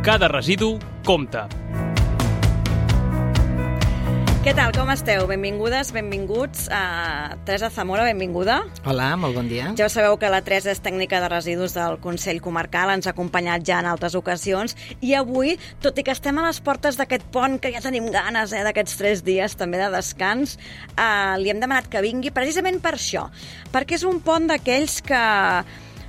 Cada residu compta. Què tal, com esteu? Benvingudes, benvinguts. Teresa Zamora, benvinguda. Hola, molt bon dia. Ja sabeu que la Teresa és tècnica de residus del Consell Comarcal, ens ha acompanyat ja en altres ocasions, i avui, tot i que estem a les portes d'aquest pont, que ja tenim ganes d'aquests 3 dies també de descans, li hem demanat que vingui precisament per això, perquè és un pont d'aquells que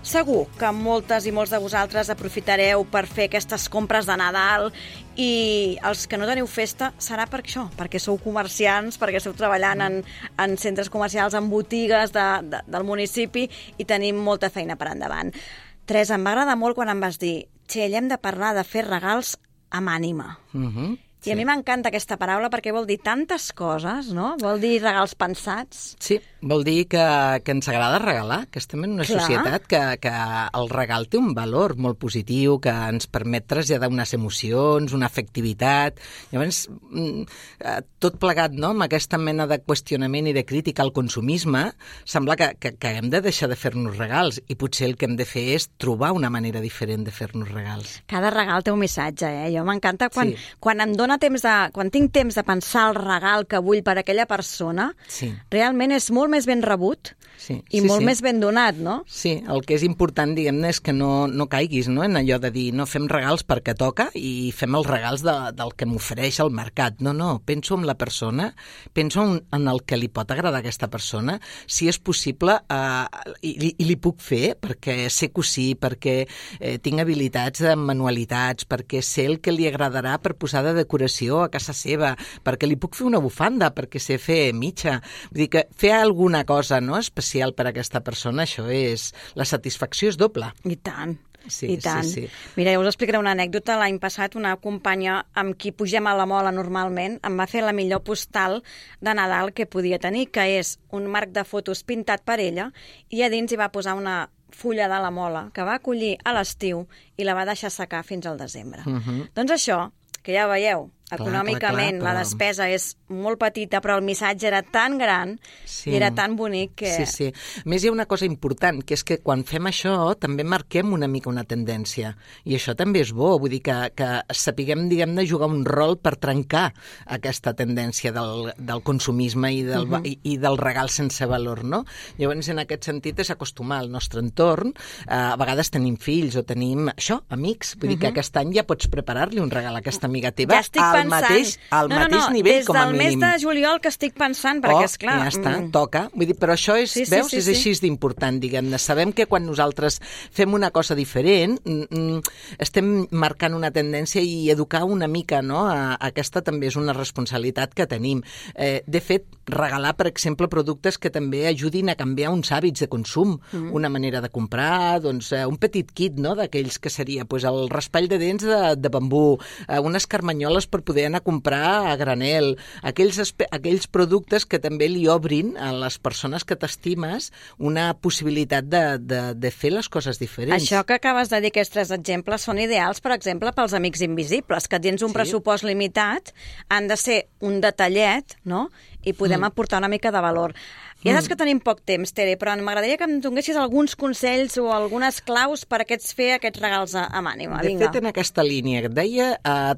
segur que moltes i molts de vosaltres aprofitareu per fer aquestes compres de Nadal, i els que no teniu festa serà per això, perquè sou comerciants, perquè esteu treballant en centres comercials, en botigues del municipi, i tenim molta feina per endavant. Teresa, em va agradar molt quan em vas dir «Txell, hem de parlar de fer regals amb ànima». I a mi m'encanta aquesta paraula perquè vol dir tantes coses, no? Vol dir regals pensats. Sí, vol dir que ens agrada regalar, que estem en una societat que el regal té un valor molt positiu, que ens permet traslladar unes emocions, una afectivitat. Llavors, tot plegat, no?, amb aquesta mena de qüestionament i de crítica al consumisme, sembla que hem de deixar de fer-nos regals, i potser el que hem de fer és trobar una manera diferent de fer-nos regals. Cada regal té un missatge, Jo m'encanta quan em dóna quan tinc temps de pensar el regal que vull per a aquella persona, realment és molt més ben rebut i molt més ben donat, no? Sí, el que és important, diguem-ne, és que no caiguis, no?, en allò de dir no fem regals perquè toca i fem els regals del que m'ofereix el mercat. No, penso en la persona, penso en el que li pot agradar a aquesta persona, si és possible, i li puc fer perquè sé cosir, perquè tinc habilitats en manualitats, perquè sé el que li agradarà per posar de decoració a casa seva, perquè li puc fer una bufanda, perquè sé fer mitja. Vull dir que fer alguna cosa, no?, especial per a aquesta persona, això és... La satisfacció és doble. I tant. Sí, i tant. Sí. Mira, jo us explicaré una anècdota. L'any passat una companya amb qui pugem a la Mola normalment em va fer la millor postal de Nadal que podia tenir, que és un marc de fotos pintat per ella, i a dins hi va posar una fulla de la Mola que va collir a l'estiu i la va deixar secar fins al desembre. Doncs això, que ja veieu, econòmicament la despesa és molt petita, però el missatge era tan gran i era tan bonic que... Sí. A més, hi ha una cosa important, que és que quan fem això també marquem una mica una tendència, i això també és bo, vull dir que sapiguem, diguem-ne, jugar un rol per trencar aquesta tendència del consumisme i del regal sense valor, no? Llavors, en aquest sentit, és acostumar al nostre entorn. A vegades tenim fills o tenim, amics, vull dir que aquest any ja pots preparar-li un regal a aquesta amiga teva al mateix nivell, com a mínim. Des del mes de juliol que estic pensant, perquè esclar... Ja està, toca. Vull dir, però això és, veus, és així d'important, diguem-ne. Sabem que quan nosaltres fem una cosa diferent, estem marcant una tendència i educar una mica, no? Aquesta també és una responsabilitat que tenim. De fet, regalar, per exemple, productes que també ajudin a canviar uns hàbits de consum, una manera de comprar, doncs, un petit kit, no?, d'aquells que seria el raspall de dents de bambú, unes carmanyoles per poder anar a comprar a granel, aquells productes que també li obrin a les persones que t'estimes una possibilitat de fer les coses diferents. Això que acabes de dir, aquests 3 exemples, són ideals, per exemple, pels amics invisibles, que dins un pressupost limitat han de ser un detallet, no?, i podem aportar una mica de valor. Ja saps que tenim poc temps, Tere, però m'agradaria que em donessis alguns consells o algunes claus per fer aquests regals amb ànima. De fet, en aquesta línia, et deia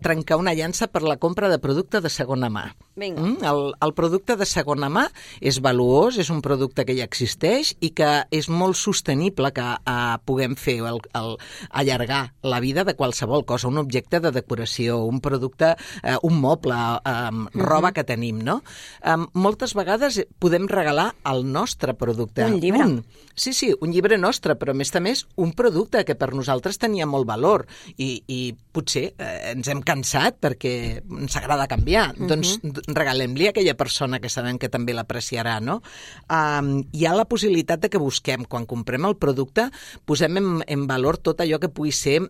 trencar una llança per la compra de producte de segona mà. El producte de segona mà és valuós, és un producte que ja existeix i que és molt sostenible que puguem fer allargar la vida de qualsevol cosa, un objecte de decoració, un producte, un moble, roba que tenim, no? Moltes vegades podem regalar el nostre producte. Un llibre. Sí, un llibre nostre, però a més un producte que per nosaltres tenia molt valor i potser ens hem cansat perquè ens agrada canviar. Doncs regalem-li a aquella persona que sabem que també l'apreciarà, no? Hi ha la possibilitat de que busquem, quan comprem el producte, posem en valor tot allò que pugui ser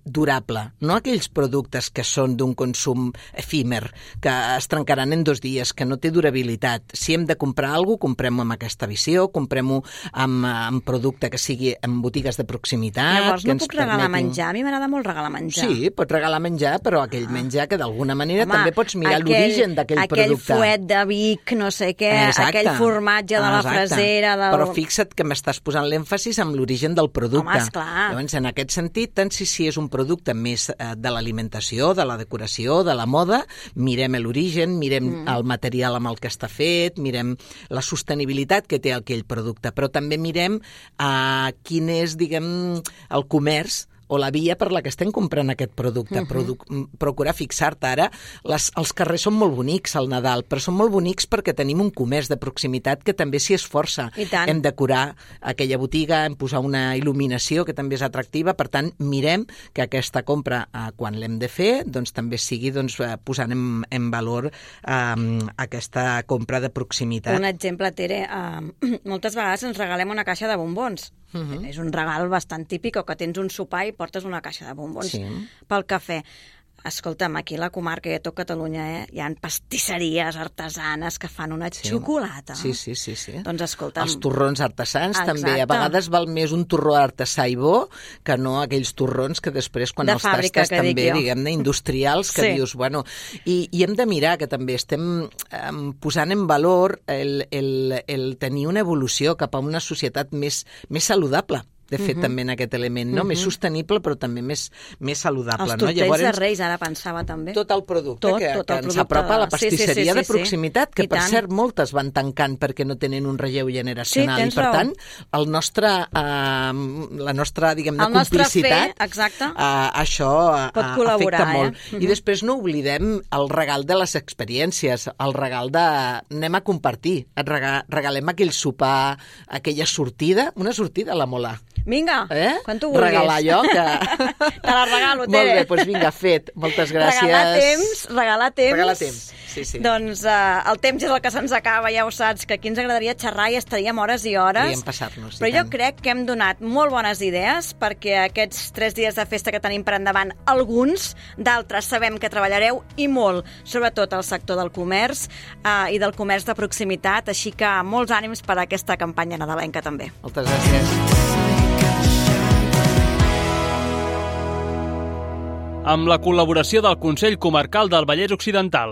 durable, no aquells productes que són d'un consum efímer, que es trencaran en 2 dies, que no té durabilitat. Si hem de comprar alguna cosa, comprem-ho amb aquesta visió, comprem-ho amb producte que sigui en botigues de proximitat. Llavors no puc regalar menjar? A mi m'agrada molt regalar menjar. Sí, pots regalar menjar, però aquell menjar que d'alguna manera també pots mirar l'origen d'aquell producte. Aquell fuet de Vic, no sé què, aquell formatge de la Frasera... Però fixa't que m'estàs posant l'èmfasis en l'origen del producte. Home, esclar. Llavors, en aquest sentit, tant si és un producte més de l'alimentació, de la decoració, de la moda, mirem l'origen, mirem el material amb el que està fet, mirem la sostenibilitat que té aquell producte, però també mirem quin és, diguem, el comerç o la via per la que estem comprant aquest producte. Procurar fixar-te ara. Els carrers són molt bonics al Nadal, però són molt bonics perquè tenim un comerç de proximitat que també s'hi esforça. Hem decorar aquella botiga, hem posat una il·luminació que també és atractiva, per tant, mirem que aquesta compra, quan l'hem de fer, doncs també sigui posant en valor aquesta compra de proximitat. Un exemple, Tere, moltes vegades ens regalem una caixa de bombons. És un regal bastant típic, o que tens un sopar i portes una caixa de bombons pel cafè. Escolta'm, aquí a la comarca i a tot Catalunya hi ha pastisseries artesanes que fan una xocolata. Sí. Doncs escolta'm... Els torrons artesans també. A vegades val més un torró artesà i bo que no aquells torrons que després, quan els tastes també, diguem-ne, industrials, que dius, bueno... I hem de mirar que també estem posant en valor el tenir una evolució cap a una societat més saludable. De fet, també en aquest element, no? Més sostenible, però també més saludable. Els tortells de Reis, ara pensava també. Tot el producte que ens apropa a la pastisseria de proximitat, que per cert moltes van tancant perquè no tenen un relleu generacional. I per tant, la nostra, diguem-ne, complicitat, això afecta molt. I després no oblidem el regal de les experiències, el regal de anem a compartir, regalem aquell sopar, aquella sortida, una sortida a la Mola. Vinga, quan tu vulguis. Regalar allò que... Te la regalo, Tere. Molt bé, doncs vinga, fet. Moltes gràcies. Regalar temps. Regalar temps, sí. Doncs el temps és el que se'ns acaba, ja ho saps, que aquí ens agradaria xerrar i estaríem hores i hores. Podríem passar-nos. Però jo crec que hem donat molt bones idees perquè aquests 3 dies de festa que tenim per endavant, alguns, d'altres sabem que treballareu i molt, sobretot al sector del comerç i del comerç de proximitat, així que molts ànims per a aquesta campanya nadalenca també. Moltes gràcies. Amb la col·laboració del Consell Comarcal del Vallès Occidental.